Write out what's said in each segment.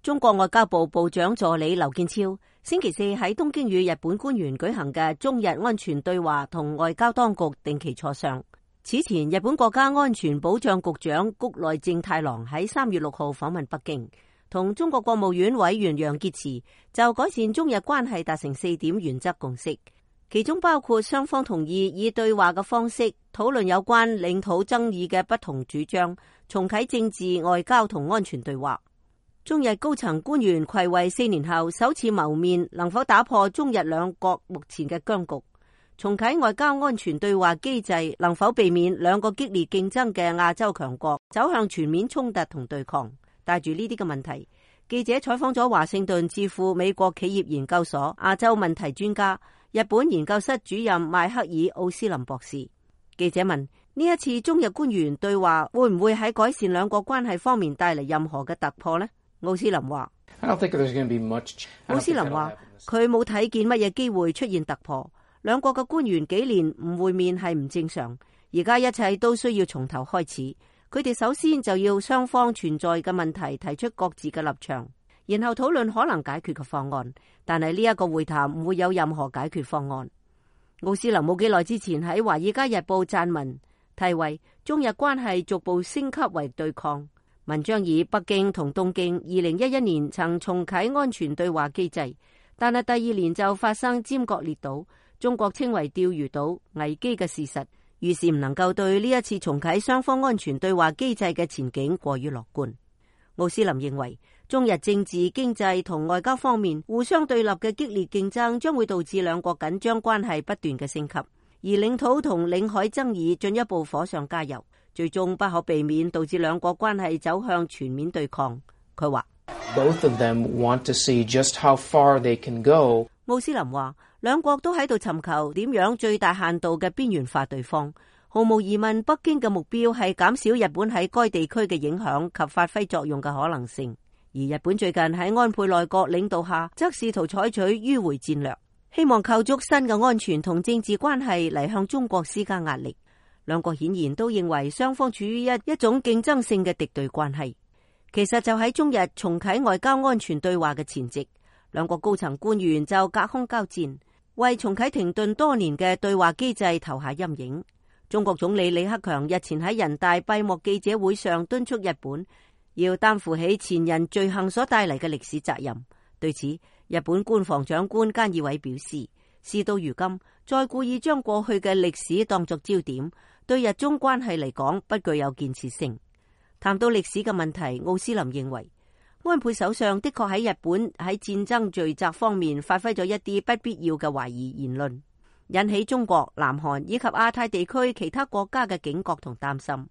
中國外交部部長助理劉建超星期四喺東京與日本官員舉行嘅中日安全對話同外交當局定期磋商。此前，日本國家安全保障局長谷內正太郎喺3月6號訪問北京，同中國國務院委員楊潔篪就改善中日關係達成4點原則共識，其中包括雙方同意以對話嘅方式討論有關領土爭議嘅不同主張，重啟政治、外交同安全對話。中日高層官員睽違4年後首次謀面，能否打破中日兩國目前嘅僵局，重啟外交安全對話機制，能否避免兩個激烈競爭嘅亞洲強國走向全面衝突同對抗？帶住呢啲嘅問題，記者採訪咗華盛頓智庫美國企業研究所亞洲問題專家、日本研究室主任邁克爾奧斯林博士。記者問：呢一次中日官員對話會唔會喺改善兩國關係方面帶嚟任何嘅突破呢？奧斯林話：奧斯林話佢冇睇見乜嘢機會出現突破。兩國嘅官員幾年唔會面係唔正常，而家一切都需要從頭開始。佢哋首先就要雙方存在嘅問題提出各自嘅立場，然後討論可能解決嘅方案。但係呢一個會談唔會有任何解決方案。奧斯林冇幾耐之前喺《華爾街日報》撰文，題為中日關係逐步升級為對抗。文章以北京同東京2011年曾重啟安全對話機制，但係第2年就發生尖閣列島，中國稱為釣魚島危機嘅事實，於是唔能夠對呢一次重啟雙方安全對話機制嘅前景過於樂觀。奧斯林認為，中日政治、經濟同外交方面互相對立嘅激烈競爭將會導致兩國緊張關係不斷嘅升級，而領土同領海爭議進一步火上加油，最終不可避免導致兩國關係走向全面對抗。佢話：Both of them want to see just how far they can go. 奧斯林話：兩國都喺度尋求點樣最大限度嘅邊緣化對方。毫無疑問，北京嘅目標係減少日本喺該地區嘅影響及發揮作用嘅可能性。而日本最近喺安倍內閣領導下，則試圖採取迂回戰略，希望構築新嘅安全同政治關係嚟向中國施加壓力。兩國顯然都認為雙方處於一種競爭性嘅敵對關係。其實就喺中日重啟外交安全對話嘅前夕，兩國高層官員就隔空交戰，為重啟停頓多年嘅對話機制投下陰影。中國總理李克強日前喺人大閉幕記者會上敦促日本要擔負起前人罪行所帶嚟嘅歷史責任。對此，日本官房長官菅義偉表示，事到如今，再故意將過去嘅歷史當作焦點，對日中關係嚟講不具有建設性。談到歷史嘅問題，奧斯林認為，安倍首相的確喺日本喺戰爭罪責方面發揮咗一啲不必要嘅懷疑言論，引起中國、南韓以及亞太地區其他國家嘅警覺同擔心。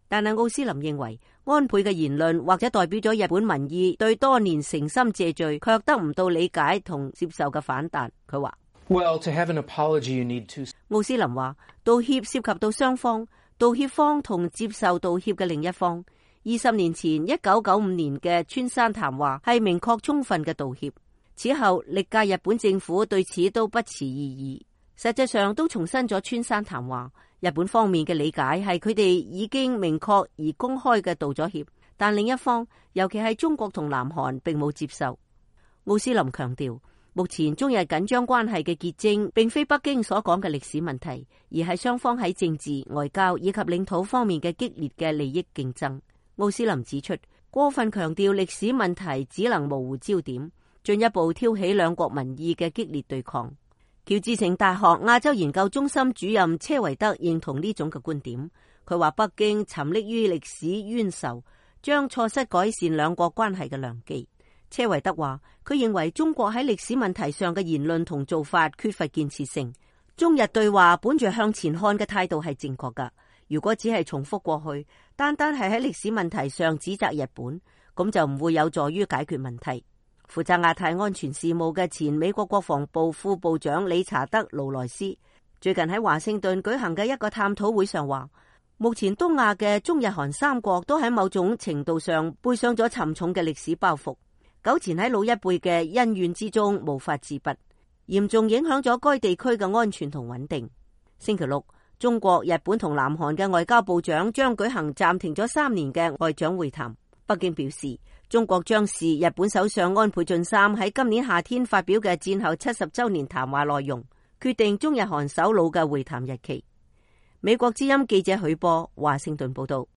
但係奧斯林認為，安倍嘅言論或者代表咗日本民意對多年誠心謝罪卻得唔到理解同接受嘅反彈。佢話：Well, to have an apology, you need to... 奧斯林話，道歉涉及到雙方，道歉方同接受道歉嘅另一方。20年前1995年嘅川山談話係明確充分嘅道歉，此後歷屆日本政府對此都不持異議，實際上都重申咗川山談話。日本方面嘅理解係佢哋已經明確而公開嘅道咗歉，但另一方，尤其係中國同南韓並冇接受。奧斯林強調，目前中日緊張關係嘅結晶並非北京所講嘅歷史問題，而係雙方喺政治、外交以及領土方面嘅激烈嘅利益競爭。奧斯林指出，過分強調歷史問題只能模糊焦點，進一步挑起兩國民意嘅激烈對抗。喬治城大學亞洲研究中心主任車維德認同呢種嘅觀點。佢話北京沉溺於歷史冤仇，將錯失改善兩國關係嘅良機。車維德話，佢認為中國喺歷史問題上嘅言論同做法缺乏建設性。中日對話本着向前看嘅態度係正確㗎。如果只係重複過去，單單係喺歷史問題上指責日本，咁就唔會有助於解決問題。負責亞太安全事務嘅前美國國防部副部長理查德·勞萊斯最近喺華盛頓舉行嘅一個探討會上話，目前東亞嘅中日韓三國都喺某種程度上背上咗沉重嘅歷史包袱，糾纏喺老一輩嘅恩怨之中無法自拔，嚴重影響咗該地區嘅安全同穩定。星期六，中國、日本同南韓嘅外交部長將舉行暫停咗3年嘅外長會談。北京表示，中國將視日本首相安倍晉三喺今年夏天發表嘅戰後70週年談話內容，決定中日韓首腦嘅會談日期。美國之音記者許波華盛頓報道。